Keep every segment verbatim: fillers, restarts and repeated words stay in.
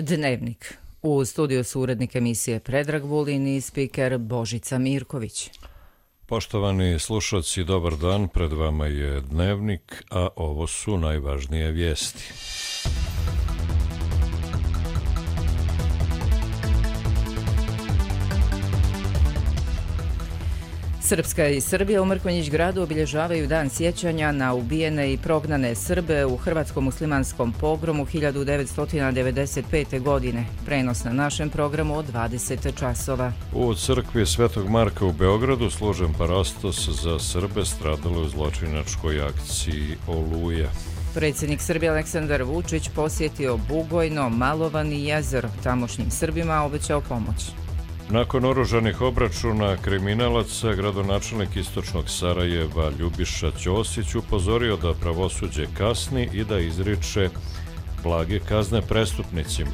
Dnevnik. U studiju su urednik emisije Predrag Vulin i spiker Božica Mirković. Poštovani slušalci, dobar dan. Pred vama je Dnevnik, a ovo su najvažnije vijesti. Srpska i Srbija u Mrkonjić gradu obilježavaju dan sjećanja na ubijene i prognane Srbe u hrvatskom muslimanskom pogromu hiljadu devetsto devedeset pete. godine. Prenos na našem programu od dvadeset časova. U crkvi Svetog Marka u Beogradu složen parastos za Srbe stradalo u zločinačkoj akciji Oluja. Predsjednik Srbije Aleksandar Vučić posjetio Bugojno, Malovan i Jezero. Tamošnjim Srbima obećao pomoć. Nakon oružanih obračuna kriminalaca, gradonačelnik istočnog Sarajeva Ljubiša Ćosić upozorio da pravosuđe kasni i da izriče blage kazne prestupnicima.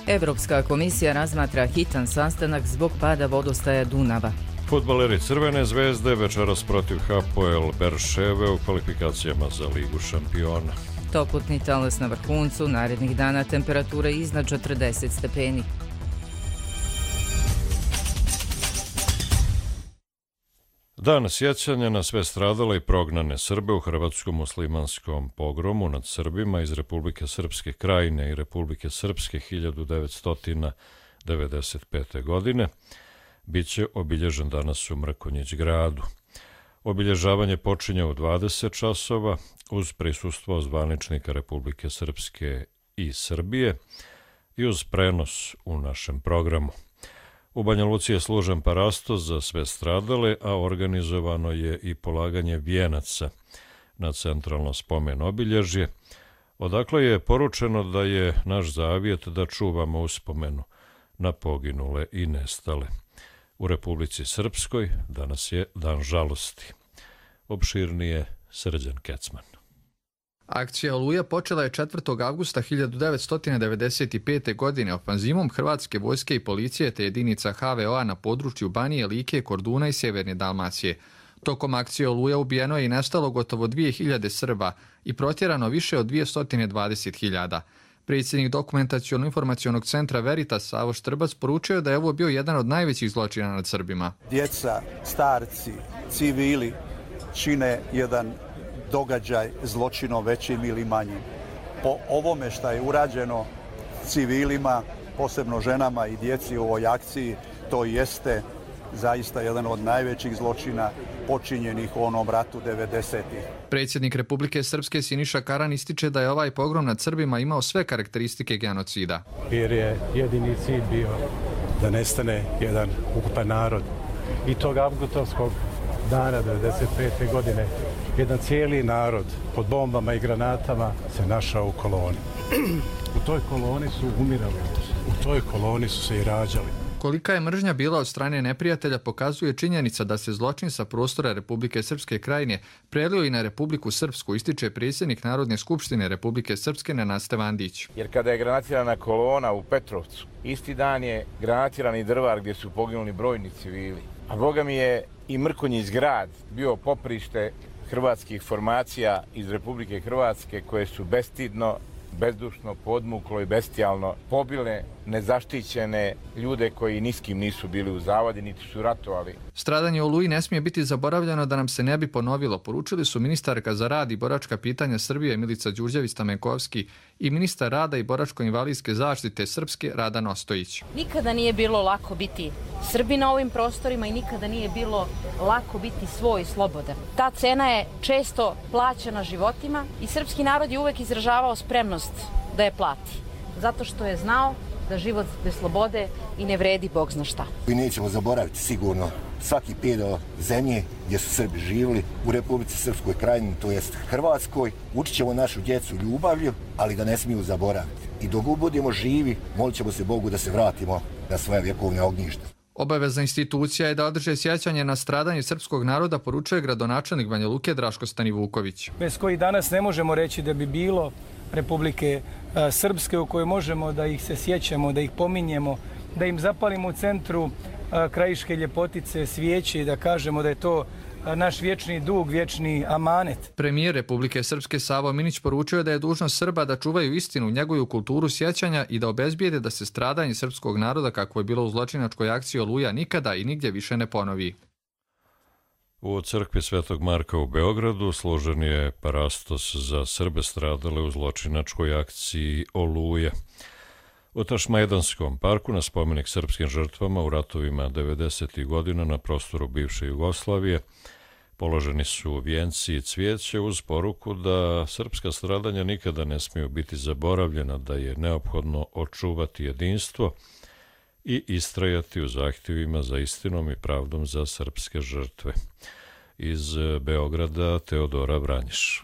Evropska komisija razmatra hitan sastanak zbog pada vodostaja Dunava. Fudbaleri Crvene zvezde večeras protiv Hapoel Berševe u kvalifikacijama za Ligu šampiona. Toplotni talas na vrhuncu, narednih dana temperature iznad četrdeset stepeni. Dan sjećanja na sve stradale i prognane Srbe u hrvatskom muslimanskom pogromu nad Srbima iz Republike Srpske Krajine i Republike Srpske hiljadu devetsto devedeset pete. godine biće obilježen danas u Mrkonjić gradu. Obilježavanje počinje u dvadeset časova uz prisustvo zvaničnika Republike Srpske i Srbije i uz prenos u našem programu. U Banja Luci je složen parastos za sve stradale, a organizovano je i polaganje vijenaca na centralno spomen obilježje, odakle je poručeno da je naš zavjet da čuvamo uspomenu na poginule i nestale. U Republici Srpskoj danas je dan žalosti. Opširnije Srđan Kecman. Akcija Oluja počela je četvrtog avgusta hiljadu devetsto devedeset pete. godine ofanzivom Hrvatske vojske i policije te jedinica ha ve o-a na području Banije, Like, Korduna i Sjeverne Dalmacije. Tokom akcije Oluja ubijeno je i nestalo gotovo dvije hiljade Srba i protjerano više od dvjesto dvadeset hiljada. Predsjednik Dokumentaciono-informacionog centra Veritas Savo Štrbac poručio da je ovo bio jedan od najvećih zločina nad Srbima. Djeca, starci, civili čine jedan događaj zločinom većim ili manjim. Po ovome što je urađeno civilima, posebno ženama i djeci u ovoj akciji, to jeste zaista jedan od najvećih zločina počinjenih u onom ratu devedesetih. Predsjednik Republike Srpske Siniša Karan ističe da je ovaj pogrom nad Srbima imao sve karakteristike genocida. Jer je jedini cilj bio da nestane jedan ukupan narod. I tog avgustovskog dana devedeset pete. godine jedan cijeli narod pod bombama i granatama se našao u koloni. U toj koloni su umirali, u toj koloni su se i rađali. Kolika je mržnja bila od strane neprijatelja pokazuje činjenica da se zločin sa prostora Republike Srpske Krajine prelio i na Republiku Srpsku, ističe predsjednik Narodne skupštine Republike Srpske Nenad Stevandić. Jer kada je granatirana kolona u Petrovcu, isti dan je granatirani Drvar gdje su poginuli brojni civili. A boga mi je i Mrkonjić grad bio poprište hrvatskih formacija iz Republike Hrvatske koje su bestidno, bezdušno, podmuklo i bestijalno pobile nezaštićene ljude koji niskim nisu bili u zavadi, niti su ratovali. Stradanje u Oluji ne smije biti zaboravljeno da nam se ne bi ponovilo, poručili su ministarka za rad i boračka pitanja Srbije Milica Đurđević-Stamenkovski i ministar rada i boračko-invalidske zaštite Srpske Radan Ostojić. Nikada nije bilo lako biti Srbi na ovim prostorima i nikada nije bilo lako biti svoj i slobodan. Ta cena je često plaćena životima i srpski narod je uvek izražavao spremnost da je plati, zato što je znao da život bez slobode i ne vredi Bog zna šta. I nećemo zaboraviti sigurno svaki pedal zemlje gdje su Srbi živjeli u Republici Srpskoj Krajini, to jest Hrvatskoj. Učit ćemo našu djecu ljubavlju, ali ga ne smiju zaboraviti. I dok budemo živi, molit ćemo se Bogu da se vratimo na svoje vjekovne ognjište. Obavezna institucija je da održe sjećanje na stradanje srpskog naroda, poručuje gradonačelnik Banja Luke Draško Stanivuković. Bez koji danas ne možemo reći da bi bilo Republike Srpske u kojoj možemo da ih se sjećamo, da ih pominjemo, da im zapalimo u centru krajiške ljepotice svijeće i da kažemo da je to naš vječni dug, vječni amanet. Premijer Republike Srpske Savo Minić poručio je da je dužnost Srba da čuvaju istinu, njeguju kulturu sjećanja i da obezbijede da se stradanje srpskog naroda, kako je bilo u zločinačkoj akciji Oluja, nikada i nigdje više ne ponovi. U crkvi Svetog Marka u Beogradu složen je parastos za Srbe stradale u zločinačkoj akciji Oluja. U Tašmajdanskom parku na spomenik srpskim žrtvama u ratovima devedesetih godina na prostoru bivše Jugoslavije položeni su vijenci i cvijeće uz poruku da srpska stradanja nikada ne smiju biti zaboravljena, da je neophodno očuvati jedinstvo i istrajati u zahtjevima za istinom i pravdom za srpske žrtve. Iz Beograda Teodora Vranjiš.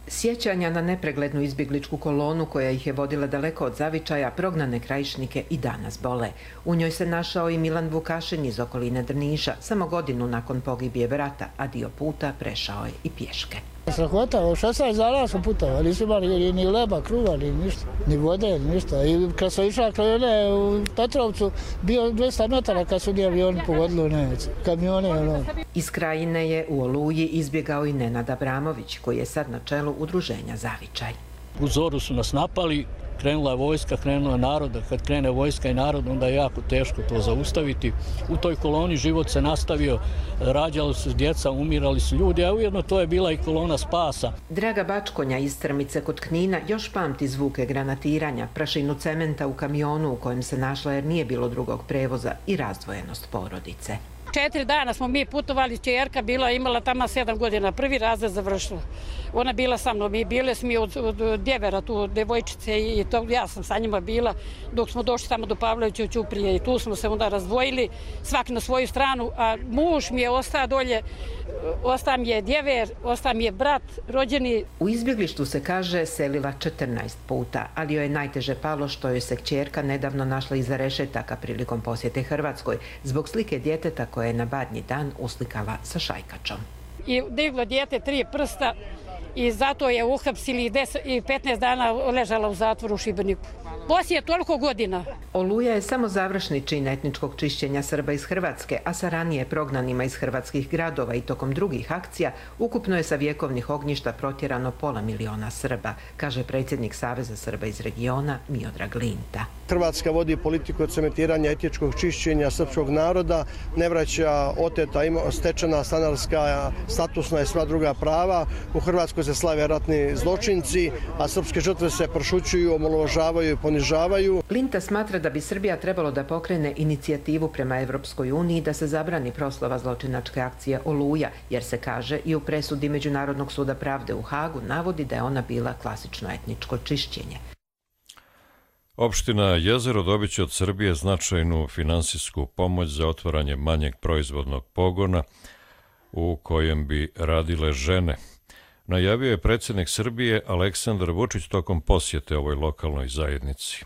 Sjećanja na nepreglednu izbjegličku kolonu koja ih je vodila daleko od zavičaja, prognane krajišnike i danas bole. U njoj se našao i Milan Vukašin iz okoline Drniša, samo godinu nakon pogibije brata, a dio puta prešao je i pješke. Strahota, šesnaest dana smo putovali, nismo imali ni leba, kruva, ni ništa, ni vode, ni ništa. I kad sam išla krajone u Petrovcu, bio dvesta metara kad su ni avioni pogodili, ne, kamione. Ono. Iz Krajine je u Oluji izbjegao i Nenad Abramović, koji je sad na čelu udruženja Zavičaj. U zoru su nas napali, krenula je vojska, krenula je narod. Kad krene vojska i narod, onda je jako teško to zaustaviti. U toj koloni život se nastavio, rađali su djeca, umirali su ljudi, a ujedno to je bila i kolona spasa. Draga Bačkonja iz Strmice kod Knina još pamti zvuke granatiranja, prašinu cementa u kamionu u kojem se našla jer nije bilo drugog prevoza i razdvojenost porodice. Četiri dana smo mi putovali, čerka bila, imala tamo sedam godina, prvi razred završila. Ona bila sa mnom i bile smo od, od djevera, tu devojčice i to, ja sam sa njima bila dok smo došli tamo do Pavlovića u Ćuprije i tu smo se onda razdvojili, svaki na svoju stranu, a muž mi je ostao dolje, ostao mi je djever, ostao mi je brat, rođeni. U izbjeglištu se kaže selila četrnaest puta, ali joj je najteže palo što joj se kćerka nedavno našla iza rešetaka prilikom posjete Hrvatskoj zbog slike djeteta koje je na Badnji dan uslikala sa šajkačom. I diglo dijete tri prsta i zato je uhapsili i petnaest dana ležala u zatvoru u Šibeniku. Poslije toliko godina. Oluja je samo završni čin etničkog čišćenja Srba iz Hrvatske, a sa ranije prognanima iz hrvatskih gradova i tokom drugih akcija ukupno je sa vjekovnih ognjišta protjerano pola miliona Srba, kaže predsjednik Saveza Srba iz regiona Miodrag Linta. Hrvatska vodi politiku cementiranja etničkog čišćenja srpskog naroda, ne vraća oteta stečena stanarska, statusna i sva druga prava. U Hrvatskoj se slave ratni zločinci, a srpske žrtve se prošućuju, omalovažavaju i ponižavaju. Linta smatra da bi Srbija trebalo da pokrene inicijativu prema Evropskoj uniji da se zabrani proslava zločinačke akcije Oluja, jer se kaže i u presudi Međunarodnog suda pravde u Hagu navodi da je ona bila klasično etničko čišćenje. Opština Jezero dobit će od Srbije značajnu finansijsku pomoć za otvaranje manjeg proizvodnog pogona u kojem bi radile žene. Najavio je predsjednik Srbije Aleksandar Vučić tokom posjete ovoj lokalnoj zajednici.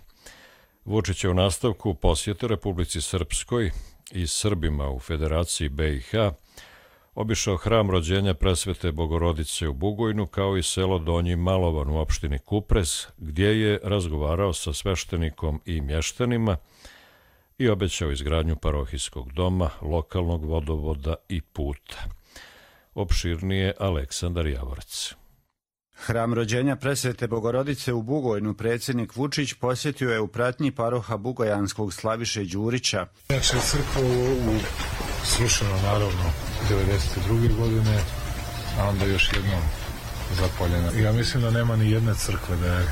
Vučić je u nastavku posjete Republici Srpskoj i Srbima u Federaciji be i ha obišao hram rođenja Presvete Bogorodice u Bugojnu kao i selo Donji Malovan u opštini Kupres, gdje je razgovarao sa sveštenikom i mještanima i obećao izgradnju parohijskog doma, lokalnog vodovoda i puta. Opširnije Aleksandar Javorac. Hram rođenja Presvete Bogorodice u Bugojnu predsjednik Vučić posjetio je u pratnji paroha bugojanskog Slaviše Đurića. Naša crkva u srušeno naravno devedeset druge godine, a onda još jednom zapaljena. Ja mislim da nema ni jedne crkve da je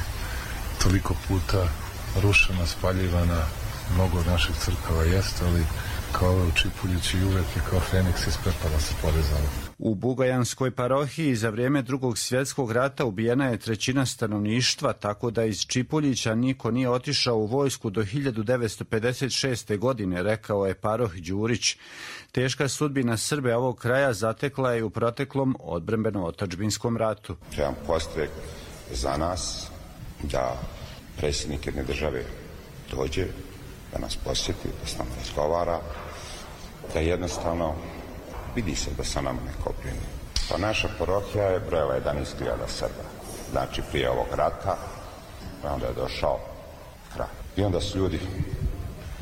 toliko puta rušena, spaljivana. Mnogo od naših crkava jeste, ali kao u Čipuljići uvek je kao Feniks iz pepela se podizala. U Bugojanskoj parohiji za vrijeme Drugog svjetskog rata ubijena je trećina stanovništva, tako da iz Čipuljića niko nije otišao u vojsku do hiljadu devetsto pedeset šeste. godine, rekao je paroh Đurić. Teška sudbina Srbe ovog kraja zatekla je u proteklom odbrambeno-otadžbinskom ratu. Trebam postrek za nas da predsjednik jedne države dođe, da nas posjeti, da s nama razgovara, da jednostavno vidi se da sa nama ne kopljeni. Pa naša parohija je brojala jedanaest hiljada Srba. Znači prije ovog rata, onda je došao kraj. I onda su ljudi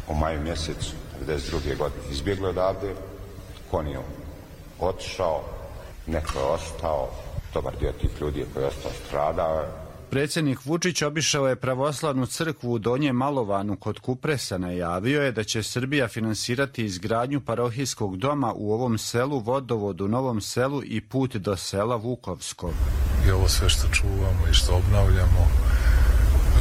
u maju mjesecu devedeset druge. godine izbjegli odavde, Koniju otišao, neko je ostao, dobar dio tih ljudi koji je ostao stradao. Predsjednik Vučić obišao je pravoslavnu crkvu u Donjem Malovanu kod Kupresa. Najavio je da će Srbija finansirati izgradnju parohijskog doma u ovom selu, vodovod u Novom Selu i put do sela Vukovskog. I ovo sve što čuvamo i što obnavljamo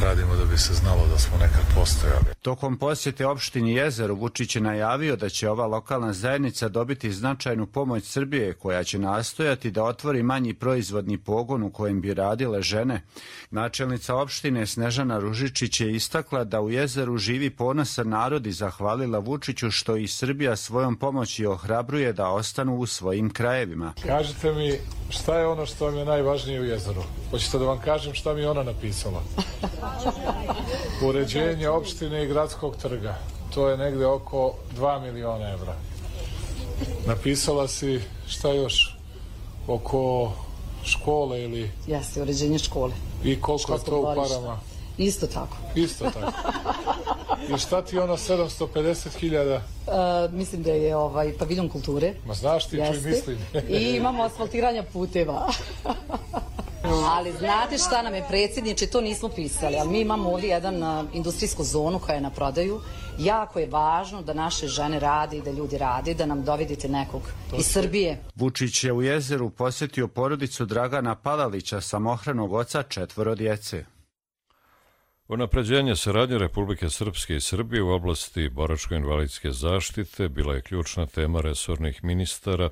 radimo da bi se znalo da smo nekad postojali. Tokom posjete opštini Jezero, Vučić je najavio da će ova lokalna zajednica dobiti značajnu pomoć Srbije, koja će nastojati da otvori manji proizvodni pogon u kojem bi radile žene. Načelnica opštine Snežana Ružičić je istakla da u Jezeru živi ponosan narod i zahvalila Vučiću što i Srbija svojom pomoći ohrabruje da ostanu u svojim krajevima. Kažite mi, šta je ono što vam je najvažnije u Jezeru? Hoćete da vam kažem šta mi je ona napisala? Uređenje opštine i gradskog trga. To je negde oko dva miliona evra. Napisala si šta još? Oko škole ili... Jeste, uređenje škole. I koliko je to u parama? Isto tako. Isto tako. I šta ti ono sedamsto pedeset hiljada? Uh, mislim da je ovaj paviljon kulture. Ma znaš ti, čuj mislim. I imamo asfaltiranja puteva. Ali znate šta nam je predsjedniče, to nismo pisali, ali mi imamo ovdje jedan uh, industrijsku zonu koja je na prodaju. Jako je važno da naše žene rade i da ljudi rade, da nam dovedite nekog to iz Srbije. Vučić je u Jezeru posjetio porodicu Dragana Palalića, samohranog oca četvoro djece. Unapređenje saradnje Republike Srpske i Srbije u oblasti boračko-invalidske zaštite bila je ključna tema resornih ministara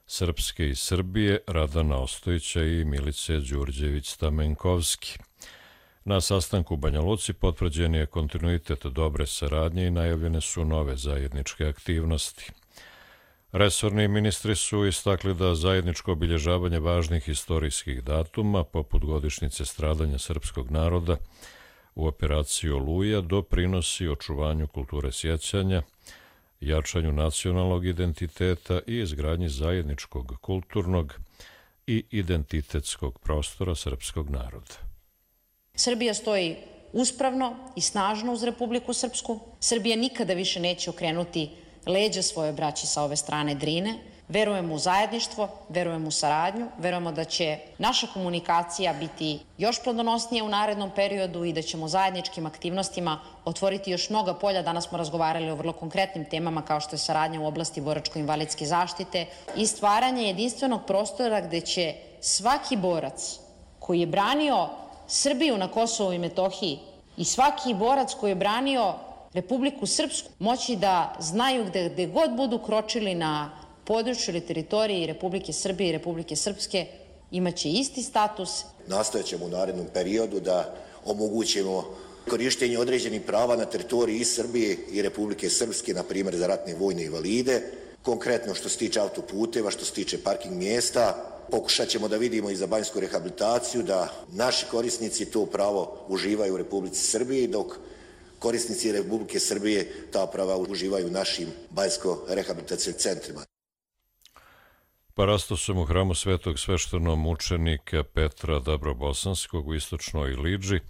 Srpske i Srbije Radana Ostojića i Milice Đurđević-Stamenkovski. Na sastanku u Banja Luci potvrđen je kontinuitet dobre saradnje i najavljene su nove zajedničke aktivnosti. Resorni ministri su istakli da zajedničko obilježavanje važnih istorijskih datuma, poput godišnjice stradanja srpskog naroda u operaciji Oluja, doprinosi očuvanju kulture sjećanja, jačanju nacionalnog identiteta i izgradnji zajedničkog kulturnog i identitetskog prostora srpskog naroda. Srbija stoji uspravno i snažno uz Republiku Srpsku. Srbija nikada više neće okrenuti leđa svoje braći sa ove strane Drine. Verujemo u zajedništvo, verujemo u saradnju, verujemo da će naša komunikacija biti još plodonosnija u narednom periodu i da ćemo zajedničkim aktivnostima otvoriti još mnoga polja. Danas smo razgovarali o vrlo konkretnim temama kao što je saradnja u oblasti boračko-invalidske zaštite i stvaranje jedinstvenog prostora gde će svaki borac koji je branio Srbiju na Kosovu i Metohiji i svaki borac koji je branio Republiku Srpsku moći da znaju gde, gde god budu kročili na području ili teritoriji Republike Srbije i Republike Srpske imaće isti status. Nastojat ćemo u narednom periodu da omogućimo korištenje određenih prava na teritoriji i Srbije i Republike Srpske, na primjer za ratne vojne invalide, konkretno što se tiče autoputeva, što se tiče parking mjesta. Pokušat ćemo da vidimo i za banjsku rehabilitaciju da naši korisnici to pravo uživaju u Republici Srbiji, dok korisnici Republike Srbije ta prava uživaju u našim banjsko-rehabilitacijnim centrima. Parastosom u hramu svetog sveštenomučenika Petra Dabrobosanskog u istočnoj Iliđi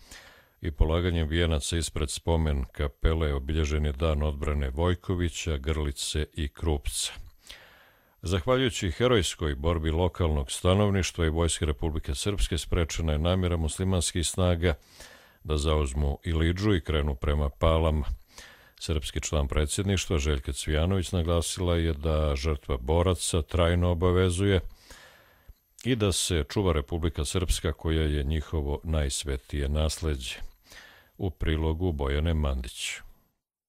i polaganjem vijenaca ispred spomen kapele obilježen je dan odbrane Vojkovića, Grlice i Krupca. Zahvaljujući herojskoj borbi lokalnog stanovništva i Vojske Republike Srpske sprečena je namjera muslimanskih snaga da zauzmu Iliđu i krenu prema Palama. Srpski član predsjedništva Željka Cvijanović naglasila je da žrtva boraca trajno obavezuje i da se čuva Republika Srpska koja je njihovo najsvetije nasleđe. U prilogu Bojane Mandić.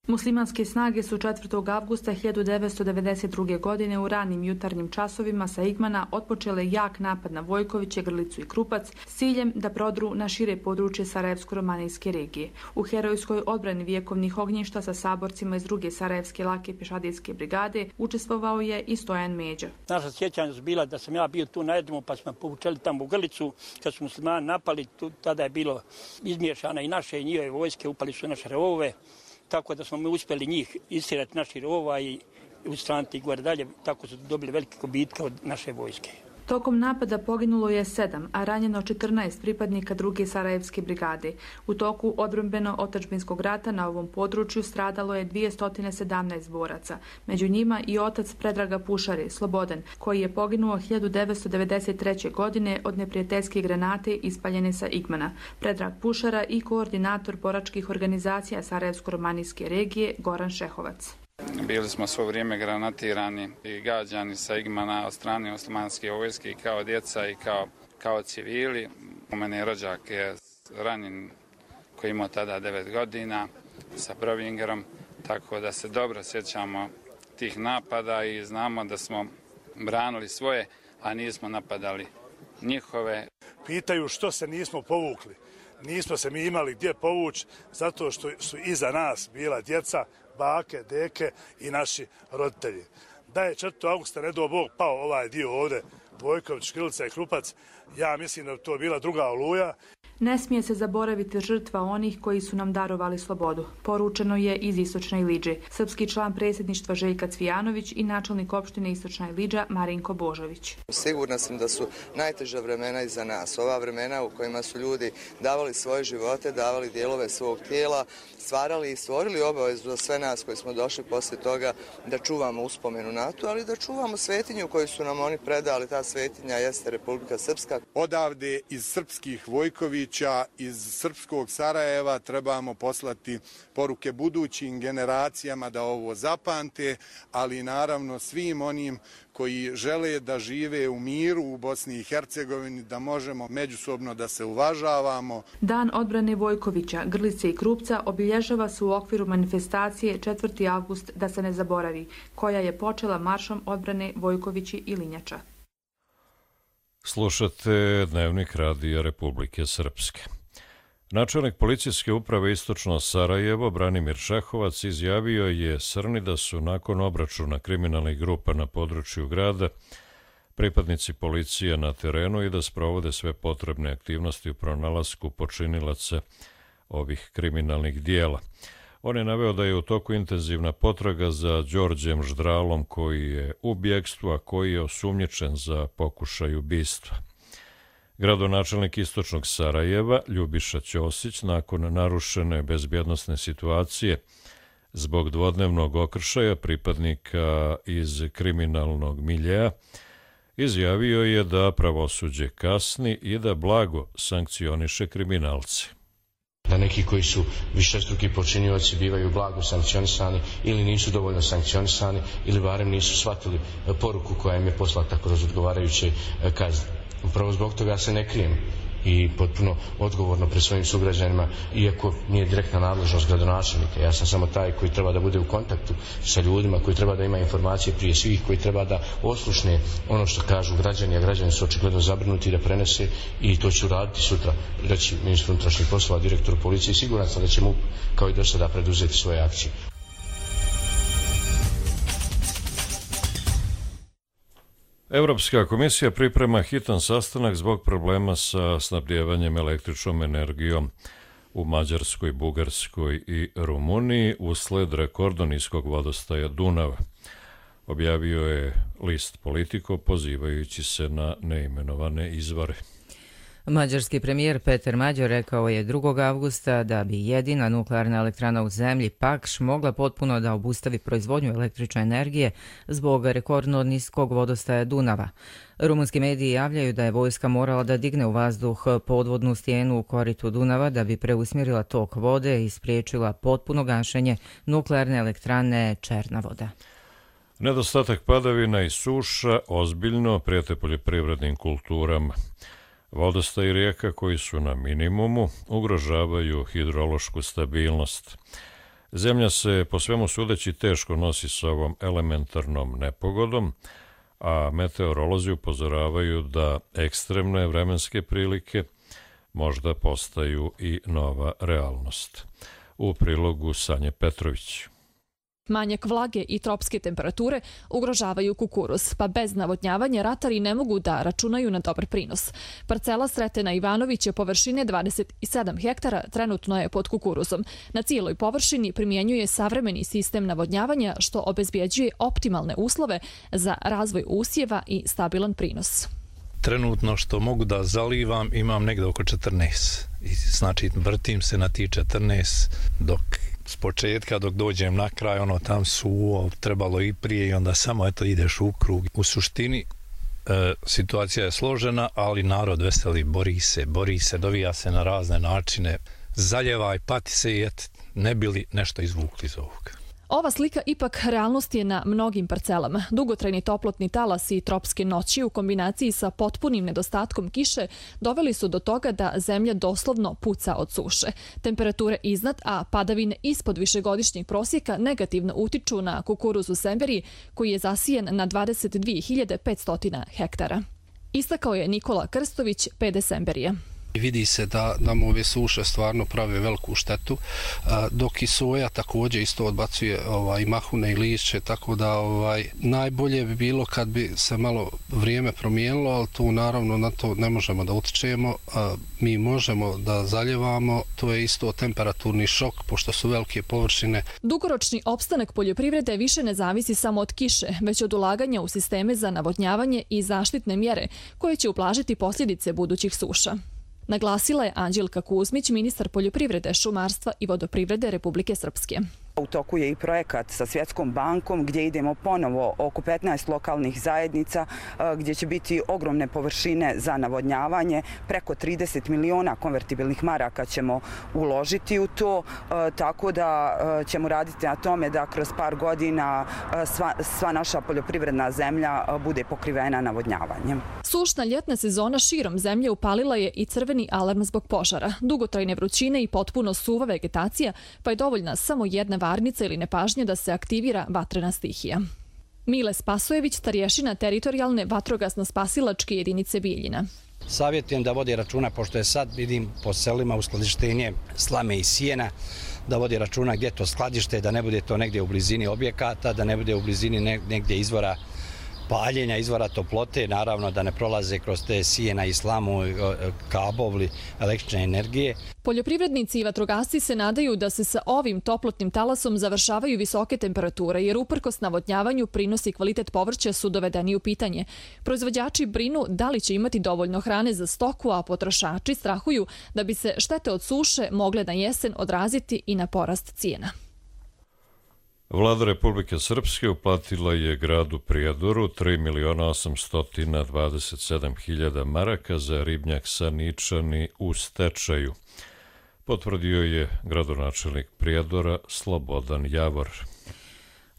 Muslimanske snage su četvrtog avgusta hiljadu devetsto devedeset druge. godine u ranim jutarnjim časovima sa Igmana otpočele jak napad na Vojkoviće, Grlicu i Krupac s ciljem da prodru na šire područje Sarajevsko-romanijske regije. U herojskoj odbrani vjekovnih ognjišta sa saborcima iz druge Sarajevske lake pješadijske brigade učestvovao je i Stojan Međa. Naša sjećanja su bila da sam ja bio tu na jednom pa smo povučeli tamo u Grlicu. Kad su muslimani napali, tu, tada je bilo izmiješana i naše i njihove vojske, upali su naše rovove. Tako da smo mi uspjeli njih istirati naših rovova i ustraniti gore dalje, tako su dobili velike gubitke od naše vojske. Tokom napada poginulo je sedam, a ranjeno četrnaest pripadnika druge Sarajevske brigade. U toku odbrambeno-otadžbinskog rata na ovom području stradalo je dvjesto sedamnaest boraca. Među njima i otac Predraga Pušare, Slobodan, koji je poginuo hiljadu devetsto devedeset treće. godine od neprijateljske granate ispaljene sa Igmana. Predrag Pušara i koordinator boračkih organizacija Sarajevsko-romanijske regije Goran Šehovac. Bili smo svo vrijeme granatirani i gađani sa Igmana od strane osmanske vojske i kao djeca i kao, kao civili. U mene rođak je ranjen koji imao tada devet godina sa Provingerom, tako da se dobro sjećamo tih napada i znamo da smo branili svoje, a nismo napadali njihove. Pitaju što se nismo povukli. Nismo se mi imali gdje povući zato što su iza nas bila djeca, bake, deke i naši roditelji. Da je četvrtog avgusta, ne do Bog, pao ovaj dio ovdje, Vojković, Škrilica i Krupac, ja mislim da je to bila druga Oluja. Ne smije se zaboraviti žrtva onih koji su nam darovali slobodu. Poručeno je iz Istočne Iliđe. Srpski član predsjedništva Željka Cvijanović i načelnik opštine Istočna Iliđa Marinko Božović. Sigurna sam da su najteža vremena iza nas. Ova vremena u kojima su ljudi davali svoje živote, davali dijelove svog tijela, stvarali i stvorili obavezu za sve nas koji smo došli poslije toga da čuvamo uspomenu na to, ali da čuvamo svetinju koju su nam oni predali. Ta svetinja jeste Republika Srpska. Odavde iz srpskih Vojkovića, iz srpskog Sarajeva trebamo poslati poruke budućim generacijama da ovo zapamte, ali naravno svim onim koji žele da žive u miru u Bosni i Hercegovini, da možemo međusobno da se uvažavamo. Dan odbrane Vojkovića, Grlice i Krupca obilježava se u okviru manifestacije četvrti avgust da se ne zaboravi, koja je počela maršom odbrane Vojkovići i Linjača. Slušate Dnevnik radija Republike Srpske. Načelnik policijske uprave Istočno Sarajevo, Branimir Šehovac, izjavio je Srni da su nakon obračuna kriminalnih grupa na području grada pripadnici policije na terenu i da sprovode sve potrebne aktivnosti u pronalasku počinilaca ovih kriminalnih dijela. On je naveo da je u toku intenzivna potraga za Đorđem Ždralom koji je u bjegstvu, a koji je osumnjičen za pokušaj ubistva. Gradonačelnik Istočnog Sarajeva, Ljubiša Ćosić, nakon narušene bezbjednosne situacije zbog dvodnevnog okršaja pripadnika iz kriminalnog miljeja, izjavio je da pravosuđe kasni i da blago sankcioniše kriminalce. Da neki koji su višestruki počinioci bivaju blago sankcionisani ili nisu dovoljno sankcionisani ili barem nisu shvatili poruku koja im je poslata kroz odgovarajuće kazne. Upravo zbog toga se ne krijem i potpuno odgovorno pred svojim sugrađanima, iako nije direktna nadležnost gradonačelnika. Ja sam samo taj koji treba da bude u kontaktu sa ljudima, koji treba da ima informacije prije svih, koji treba da oslušne ono što kažu građani, a građani su očigledno zabrinuti da prenese i to ću raditi sutra, reći ministru unutrašnjih poslova, direktoru policije. Siguran sam da će MUP kao i do sada preduzeti svoje akcije. Evropska komisija priprema hitan sastanak zbog problema sa snabdjevanjem električnom energijom u Mađarskoj, Bugarskoj i Rumuniji usled rekordno niskog vodostaja Dunava. Objavio je list Politico pozivajući se na neimenovane izvore. Mađarski premijer Peter Mađar rekao je drugog avgusta da bi jedina nuklearna elektrana u zemlji Pakš mogla potpuno da obustavi proizvodnju električne energije zbog rekordno niskog vodostaja Dunava. Rumunski mediji javljaju da je vojska morala da digne u vazduh podvodnu stijenu u koritu Dunava da bi preusmjerila tok vode i spriječila potpuno gašenje nuklearne elektrane Černavoda. Nedostatak padavina i suša ozbiljno prijete poljoprivrednim kulturama. Vodostaj rijeka koji su na minimumu ugrožavaju hidrološku stabilnost. Zemlja se po svemu sudeći teško nosi s ovom elementarnom nepogodom, a meteorolozi upozoravaju da ekstremne vremenske prilike možda postaju i nova realnost. U prilogu Sanje Petrović. Manjak vlage i tropske temperature ugrožavaju kukuruz, pa bez navodnjavanja ratari ne mogu da računaju na dobar prinos. Parcela Sretena Ivanović je površine dvadeset sedam hektara, trenutno je pod kukuruzom. Na cijeloj površini primjenjuje savremeni sistem navodnjavanja što obezbjeđuje optimalne uslove za razvoj usjeva i stabilan prinos. trenutno što mogu da zalivam imam negde oko četrnaest. I znači vrtim se na ti četrnaest dok s početka dok dođem na kraj, ono tam suvo, trebalo i prije i onda samo eto ideš u krug. U suštini e, situacija je složena, ali narod veseli, bori se, bori se, dovija se na razne načine, zaljevaj, pati se i et, ne bili nešto izvukli iz ovoga. Ova slika ipak realnost je na mnogim parcelama. Dugotrajni toplotni talas i tropske noći u kombinaciji sa potpunim nedostatkom kiše doveli su do toga da zemlja doslovno puca od suše. Temperature iznad, a padavine ispod višegodišnjeg prosjeka negativno utiču na kukuruz u Semberiji, koji je zasijen na dvadeset dvije hiljade petsto hektara. Istakao je Nikola Krstović, P D Semberija. Vidi se da nam ove suše stvarno prave veliku štetu, dok i soja također isto odbacuje ovaj, mahune i lišće, tako da ovaj, najbolje bi bilo kad bi se malo vrijeme promijenilo, ali tu naravno na to ne možemo da utičemo. Mi možemo da zaljevamo, to je isto temperaturni šok, pošto su velike površine. Dugoročni opstanak poljoprivrede više ne zavisi samo od kiše, već od ulaganja u sisteme za navodnjavanje i zaštitne mjere koje će ublažiti posljedice budućih suša. Naglasila je Anđelka Kuzmić, ministar poljoprivrede, šumarstva i vodoprivrede Republike Srpske. U toku je i projekat sa Svjetskom bankom gdje idemo ponovo oko petnaest lokalnih zajednica gdje će biti ogromne površine za navodnjavanje. Preko trideset miliona konvertibilnih maraka ćemo uložiti u to, tako da ćemo raditi na tome da kroz par godina sva, sva naša poljoprivredna zemlja bude pokrivena navodnjavanjem. Sušna ljetna sezona širom zemlje upalila je i crveni alarm zbog požara, dugotrajne vrućine i potpuno suva vegetacija, pa je dovoljna samo jedna varnica ili nepažnja da se aktivira vatrena stihija. Mile Spasojević, starješina teritorijalne vatrogasno-spasilačke jedinice Bijeljina. Savjetujem da vodi računa, pošto je sad, vidim, po selima uskladištenje slame i sjena, da vodi računa gdje to skladište, da ne bude to negdje u blizini objekata, da ne bude u blizini negdje izvora paljenja, izvora toplote, naravno da ne prolaze kroz te sjena i slamu, kabovli električne energije. Poljoprivrednici i vatrogasci se nadaju da se sa ovim toplotnim talasom završavaju visoke temperature, jer uprkos navodnjavanju prinos i kvalitet povrća su dovedeni u pitanje. Proizvođači brinu da li će imati dovoljno hrane za stoku, a potrošači strahuju da bi se štete od suše mogle na jesen odraziti i na porast cijena. Vlada Republike Srpske uplatila je gradu Prijedoru tri miliona osamsto dvadeset sedam hiljada maraka za ribnjak Saničani u stečaju. Potvrdio je gradonačelnik Prijedora Slobodan Javor.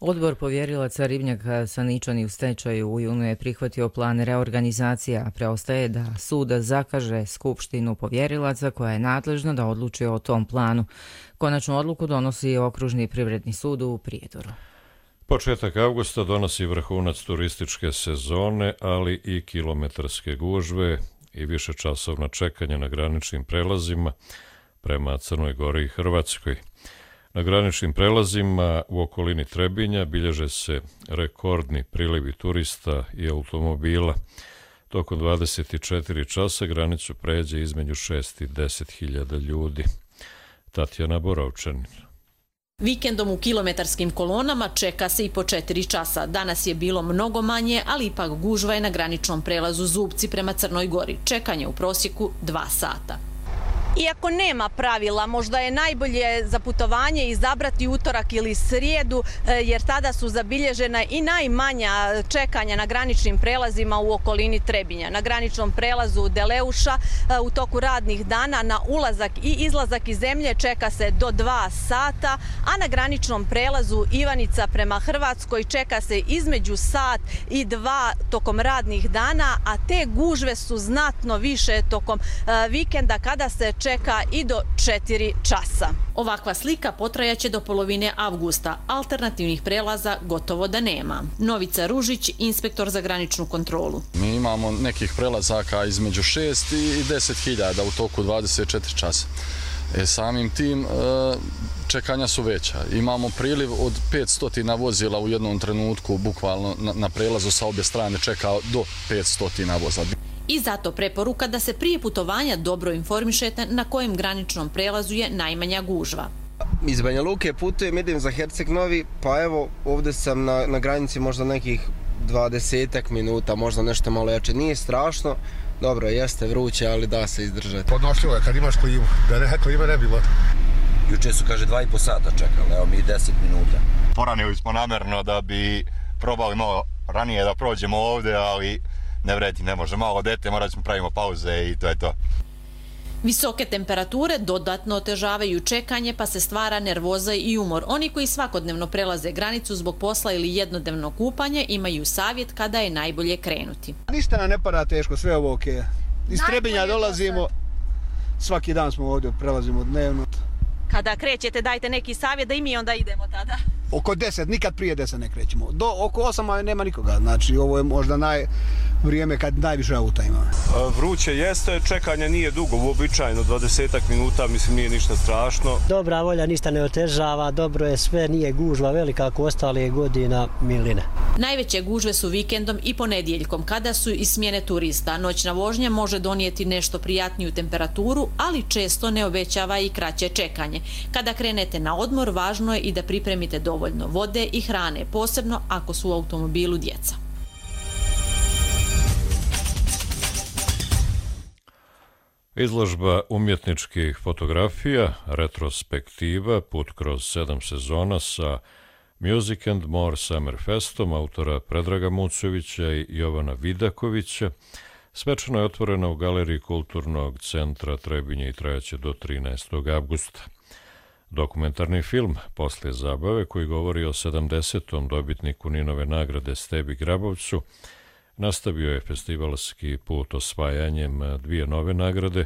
Odbor povjerilaca ribnjaka Saničani u stečaju u junu je prihvatio plan reorganizacije, a preostaje da sud zakaže skupštinu povjerilaca koja je nadležna da odluči o tom planu. Konačnu odluku donosi Okružni privredni sud u Prijedoru. Početak avgusta donosi vrhunac turističke sezone, ali i kilometarske gužve i višečasovna čekanja na graničnim prelazima prema Crnoj Gori i Hrvatskoj. Na graničnim prelazima u okolini Trebinja bilježe se rekordni prilivi turista i automobila. Tokom dvadeset četiri časa granicu pređe između šest i deset hiljada ljudi. Tatjana Borovčanin. Vikendom u kilometarskim kolonama čeka se i po četiri časa. Danas je bilo mnogo manje, ali ipak gužva je na graničnom prelazu Zubci prema Crnoj Gori. Čekanje u prosjeku dva sata. Iako nema pravila, možda je najbolje za putovanje izabrati utorak ili srijedu, jer tada su zabilježena i najmanja čekanja na graničnim prelazima u okolini Trebinja. Na graničnom prelazu Deleuša u toku radnih dana na ulazak i izlazak iz zemlje čeka se do dva sata, a na graničnom prelazu Ivanica prema Hrvatskoj čeka se između sat i dva tokom radnih dana, a te gužve su znatno više tokom vikenda kada se čeka i do četiri časa. Ovakva slika potrajaće do polovine avgusta. Alternativnih prelaza gotovo da nema. Novica Ružić, inspektor za graničnu kontrolu. Mi imamo nekih prelazaka između šest i deset hiljada u toku dvadeset četiri časa. E, samim tim čekanja su veća. Imamo priliv od petsto vozila u jednom trenutku, bukvalno na, na prelazu sa obje strane čeka do petsto vozila. I zato preporuka da se prije putovanja dobro informišete na kojem graničnom prelazu je najmanja gužva. Iz Banja Luke putujem, idem za Herceg Novi, pa evo ovdje sam na, na granici možda nekih dvadesetak minuta, možda nešto malo jače. Nije strašno, dobro, jeste vruće, ali da se izdržati. Podnošljivo je kad imaš klimu, da ne, klima ne bilo. Juče su, kaže, dva i po sata čekali, evo mi deset minuta. Poranili smo namjerno da bi probali malo ranije da prođemo ovdje, ali ne vredi, ne može. Malo dete, morat ćemo pravimo pauze i to je to. Visoke temperature dodatno otežavaju čekanje, pa se stvara nervoza i umor. Oni koji svakodnevno prelaze granicu zbog posla ili jednodnevno kupanje imaju savjet kada je najbolje krenuti. Ništa nam ne pada teško, sve ovo okej. Iz Trebinja dolazimo, svaki dan smo ovdje, prelazimo dnevno. Kada krećete, dajte neki savjet da i mi onda idemo tada. Oko deset, nikad prije deset ne krećemo. Do oko osama nema nikoga, znači ovo je možda naj vrijeme kad najviše auta ima. Vruće jeste, čekanje nije dugo, uobičajeno dvadesetak minuta, mislim nije ništa strašno. Dobra volja, ništa ne otežava, dobro je sve, nije gužva velika ako ostale godina miline. Najveće gužve su vikendom i ponedjeljkom, kada su i smjene turista. Noćna vožnja može donijeti nešto prijatniju temperaturu, ali često ne obećava i kraće čekanje. Kada krenete na odmor, važno je i da pripremite dovoljno vode i hrane, posebno ako su u automobilu djeca. Izložba umjetničkih fotografija, retrospektiva, put kroz sedam sezona sa Music and More Summer Festom autora Predraga Mucovića i Jovana Vidakovića, svečano je otvorena u Galeriji Kulturnog centra Trebinje i trajaće do trinaestog avgusta. Dokumentarni film Poslije zabave, koji govori o sedamdesetom dobitniku Ninove nagrade Stebi Grabovcu, nastavio je festivalski put osvajanjem dvije nove nagrade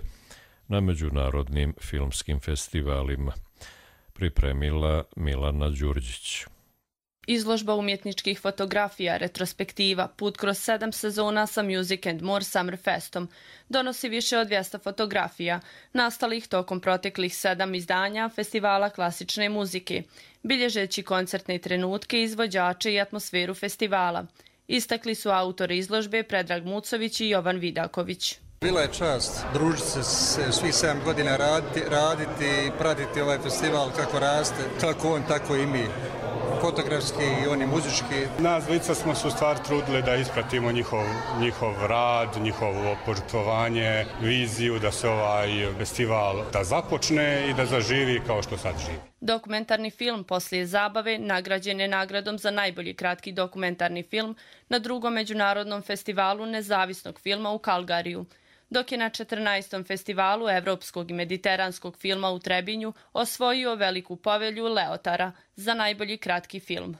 na međunarodnim filmskim festivalima. Pripremila Milana Đurđić. Izložba umjetničkih fotografija, retrospektiva, put kroz sedam sezona sa Music and More Summer Festom donosi više od dvjesto fotografija, nastalih tokom proteklih sedam izdanja festivala klasične muzike, bilježeći koncertne trenutke, izvođače i atmosferu festivala. Istakli su autori izložbe Predrag Mucović i Jovan Vidaković. Bila je čast družiti se svih sedam godina, raditi, raditi i pratiti ovaj festival kako raste, kako on, tako i mi. Fotografski i oni muzički. Nas dvojica smo se u stvari trudili da ispratimo njihov, njihov rad, njihovo požrtvovanje, viziju da se ovaj festival da započne i da zaživi kao što sad živi. Dokumentarni film Poslije zabave nagrađen je nagradom za najbolji kratki dokumentarni film na drugom međunarodnom festivalu nezavisnog filma u Kalgariju, dok je na četrnaestom festivalu evropskog i mediteranskog filma u Trebinju osvojio veliku povelju Leotara za najbolji kratki film.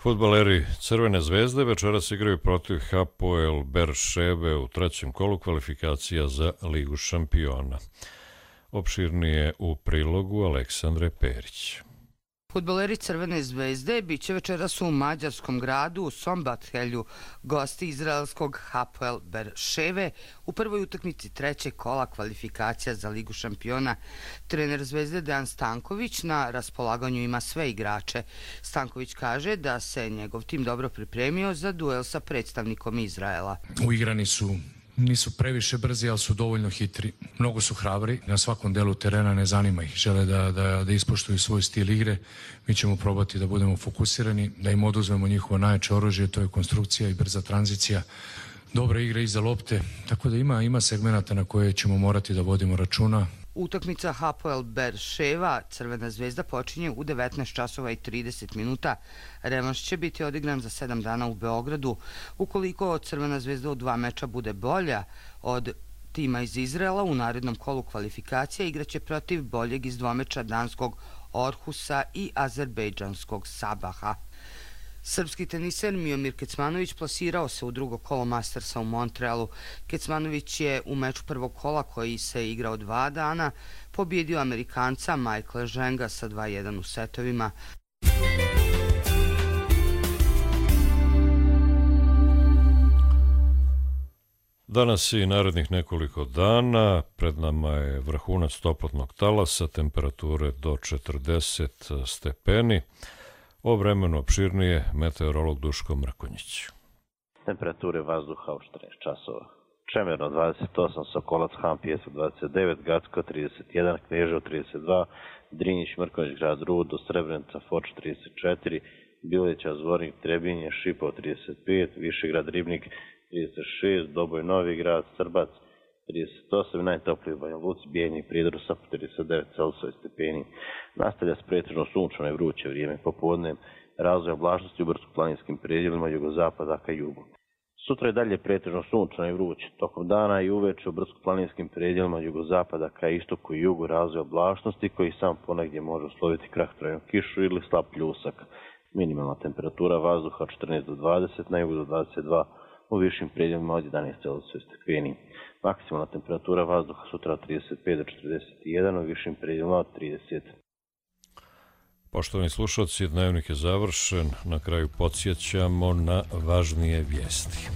Fudbaleri Crvene zvezde večeras igraju protiv Hapoel Berševe u trećem kolu kvalifikacija za Ligu šampiona. Opširnije u prilogu Aleksandre Perić. Fudbaleri Crvene zvezde bit će večeras u mađarskom gradu u Sombathelju gosti izraelskog Hapoel Berševe u prvoj utakmici trećeg kola kvalifikacija za Ligu šampiona. Trener zvezde Dejan Stanković na raspolaganju ima sve igrače. Stanković kaže da se njegov tim dobro pripremio za duel sa predstavnikom Izraela. Uigrani su nisu previše brzi, ali su dovoljno hitri. Mnogo su hrabri, na svakom delu terena ne zanima ih. Žele da, da, da ispoštuju svoj stil igre. Mi ćemo probati da budemo fokusirani, da im oduzmemo njihovo najjače oružje, to je konstrukcija i brza tranzicija. Dobre igre iza lopte, tako da ima, ima segmenata na koje ćemo morati da vodimo računa. Utakmica Hapoel Berševa Crvena zvezda počinje u devetnaest časova i trideset minuta. Revanš će biti odigran za sedam dana u Beogradu. Ukoliko Crvena zvezda u dva meča bude bolja od tima iz Izraela, u narednom kolu kvalifikacija igraće protiv boljeg iz dvomeča danskog Orhusa i azerbejdžanskog Sabaha. Srpski teniser Miomir Kecmanović plasirao se u drugo kolo Mastersa u Montrealu. Kecmanović je u meču prvog kola, koji se igrao dva dana, pobjedio Amerikanca Michaela Ženga sa dva jedan u setovima. Danas i narednih nekoliko dana pred nama je vrhunac toplotnog talasa, temperature do četrdeset stepeni. O vremenu opširnije meteorolog Duško Mrkonjić. Temperature vazduha od četrnaest časova. Čemerno dvadeset osam, Sokolac, Han, Pjesak dvadeset devet, Gacko trideset jedan, Kneževo trideset dva, Drinjić, Mrkonjić, Grad Rudo, Srebrenica, Foč trideset četiri, Bileća, Zvornik, Trebinje, Šipov trideset pet, Višegrad, Ribnik trideset šest, Doboj, Novi Grad, Srbac trideset osam, najtopliji u Banja Luci, Bijeljnik, Prijedor, Sapa trideset devet Celsijusa stepeni. Nastavlja s pretežno sunčano i vruće vrijeme popodne, razvoj oblačnosti u brdsko-planinskim predjelima jugozapada ka jugu. Sutra je dalje pretežno sunčano i vruće. Tokom dana i uveče u brdsko-planinskim predjelima jugozapada ka istoku i jugu razvoj oblačnosti koji sam ponegdje može usloviti kratkotrajnu kišu ili slab pljusak. Minimalna temperatura vazduha četrnaest do dvadeset, na jugu do dvadeset dva, u višim predjelima od jedanaest Celsijusa stepeni. Maksimalna temperatura vazduha sutra od trideset pet do četrdeset jedan, u višim predjelima od trideset. Poštovani slušalci, dnevnik je završen. Na kraju podsjećamo na važnije vijesti.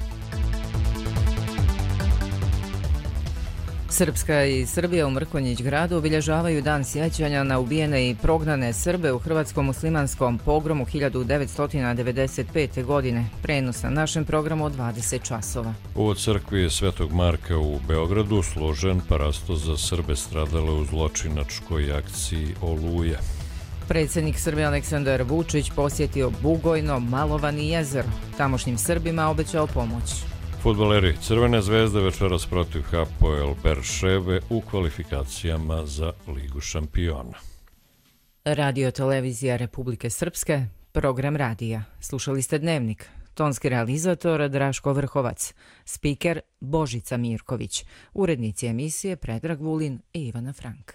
Srpska i Srbija u Mrkonjić gradu obilježavaju dan sjećanja na ubijene i prognane Srbe u hrvatskom muslimanskom pogromu hiljadu devetsto devedeset pete. godine. Prenos na našem programu od dvadeset časova. U crkvi Svetog Marka u Beogradu složen parasto za Srbe stradale u zločinačkoj akciji Oluja. Predsjednik Srbije Aleksandar Vučić posjetio Bugojno, Malovan i jezero. Tamošnjim Srbima obećao pomoć. Fudbaleri Crvene zvezde večeras protiv Hapoel Berševe u kvalifikacijama za Ligu šampiona. Radio televizija Republike Srpske, program radija. Slušali ste Dnevnik. Tonski realizator Draško Vrhovac. Spiker Božica Mirković. Urednici emisije Predrag Vulin i Ivana Frank.